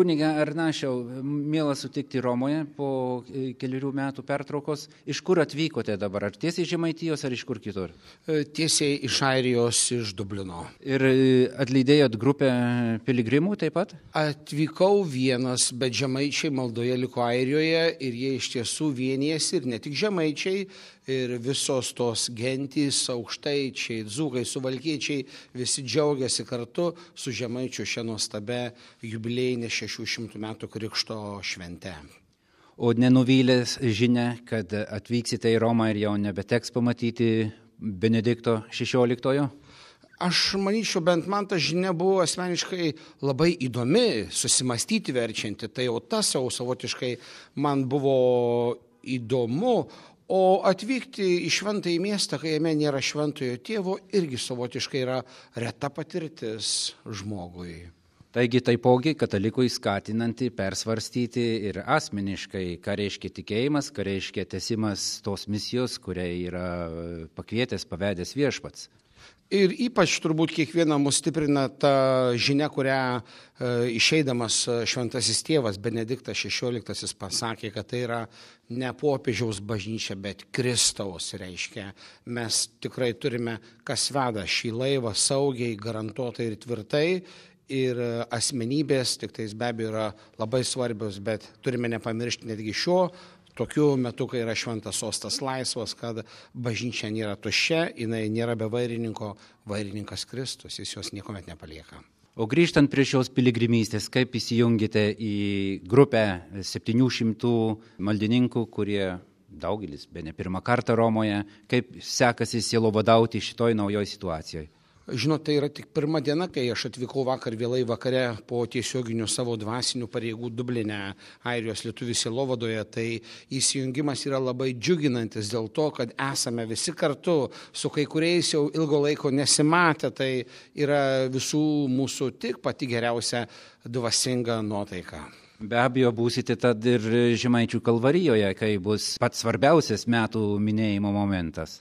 Kunige Arnašiau, miela sutikti Romoje po keliarių metų pertraukos. Iš kur atvykote dabar? Ar tiesiai iš Žemaitijos, ar iš kur kitur? Tiesiai iš Airijos, iš Dublino. Ir atlydėjot grupę piligrimų taip pat? Atvykau vienas, bet žemaičiai maldoje liko Airijoje ir jie iš tiesų vienijasi ir ne tik žemaičiai, ir visos tos gentys, aukštaičiai, dzūkai, suvalkiečiai, visi džiaugiasi kartu su žemaičių šią nuostabę jubiliejinę 600 metų krikšto švente. O nenuvylęs žinia, kad atvyksite į Romą ir jau nebeteks pamatyti Benedikto XVI? Aš manyčiau, bent man ta žinia buvo asmeniškai labai įdomi, susimastyti verčianti. Tai jau tas jau savotiškai man buvo įdomu. O atvykti į šventąjį miestą, kai jame nėra šventojo tėvo, irgi savotiškai yra reta patirtis žmogui. Taigi taipogi katalikui skatinanti persvarstyti ir asmeniškai, ką reiškia tikėjimas, ką reiškia tęsimas tos misijos, kurią yra pakvietęs, pavedęs Viešpats. Ir ypač turbūt kiekvieną mus stiprina ta žinia, kurią išeidamas šventasis tėvas Benediktas XVI pasakė, kad tai yra ne popiežiaus bažnyčia, bet Kristaus reiškia. Mes tikrai turime, kas veda šį laivą saugiai, garantuotai ir tvirtai. Ir asmenybės, tik tais be abejo yra labai svarbios, bet turime nepamiršti netgi tokiu metu, kai yra šventas sostas laisvas, kad bažnyčia nėra tuščia, jinai nėra be vairininko, vairininkas Kristus, jis jos niekuomet nepalieka. O grįžtant prie šios piligrimystės, kaip įsijungite į grupę 700 maldininkų, kurie daugelis, bene pirmą kartą Romoje, kaip sekasi sielovadauti šitoj naujoj situacijoje? Žinot, tai yra tik pirma diena, kai aš atvykau vakar vėlai vakare po tiesioginių savo dvasinių pareigų Dubline, Airijos lietuvių sielovadoje, tai įsijungimas yra labai džiuginantis dėl to, kad esame visi kartu, su kai kuriais jau ilgo laiko nesimatę, tai yra visų mūsų tik pati geriausia dvasinga nuotaika. Be abejo, būsite tad ir Žemaičių kalvarijoje, kai bus pats svarbiausias metų minėjimo momentas.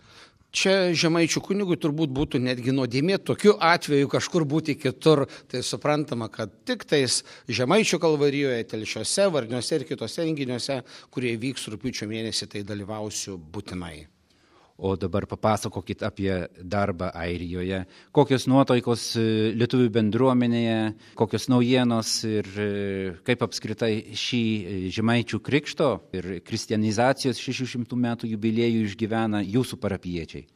Čia žemaičių kunigui turbūt būtų netgi nuodėmė tokiu atveju kažkur būti kitur. Tai suprantama, kad tik tais Žemaičių kalvarijoje, Telšiuose, Varniuose ir kitose renginiuose, kurie vyks rugpjūčio mėnesį, tai dalyvausiu būtinai. O dabar papasakokit apie darbą Airijoje. Kokios nuotaikos lietuvių bendruomenėje, kokios naujienos ir kaip apskritai šį Žemaičių krikšto ir kristianizacijos 600 metų jubiliejų išgyvena jūsų parapijiečiai?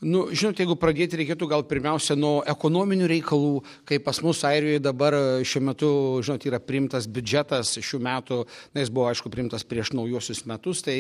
Žinot, jeigu pradėti reikėtų gal pirmiausia nuo ekonominių reikalų, kai pas mus Airijoje dabar šiuo metu, žinot, yra priimtas biudžetas šių metų, jis buvo, aišku, priimtas prieš naujuosius metus, tai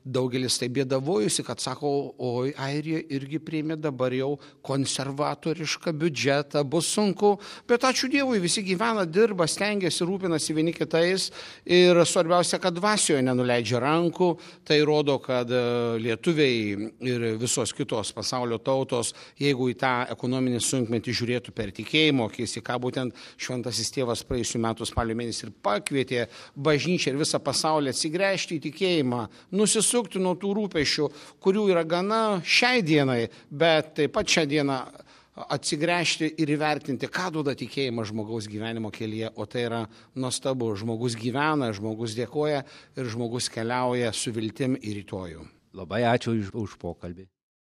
daugelis tai bėdavojusi, kad sako, oi, Airija irgi priėmė dabar jau konservatorišką biudžetą, bus sunku, bet ačiū Dievui, visi gyvena, dirba, stengiasi, rūpinasi vieni kitais ir svarbiausia, kad dvasioje nenuleidžia rankų, tai rodo, kad lietuviai ir visos kitos pasaulio tautos, jeigu į tą ekonominį sunkmetį žiūrėtų per tikėjimo akis, į ką būtent šventasis tėvas praėjusių metų spalio mėnesį ir pakvietė bažnyčią ir visą pasaulį atsigręžti į tikėjimą, nusisukti nuo tų rūpesčių, kurių yra gana šiai dienai, bet taip pat šią dieną atsigręžti ir įvertinti, ką duoda tikėjimas žmogaus gyvenimo kelyje, o tai yra nuostabu. Žmogus gyvena, žmogus dėkoja ir žmogus keliauja su viltim į rytojų. Labai ačiū už pokalbį.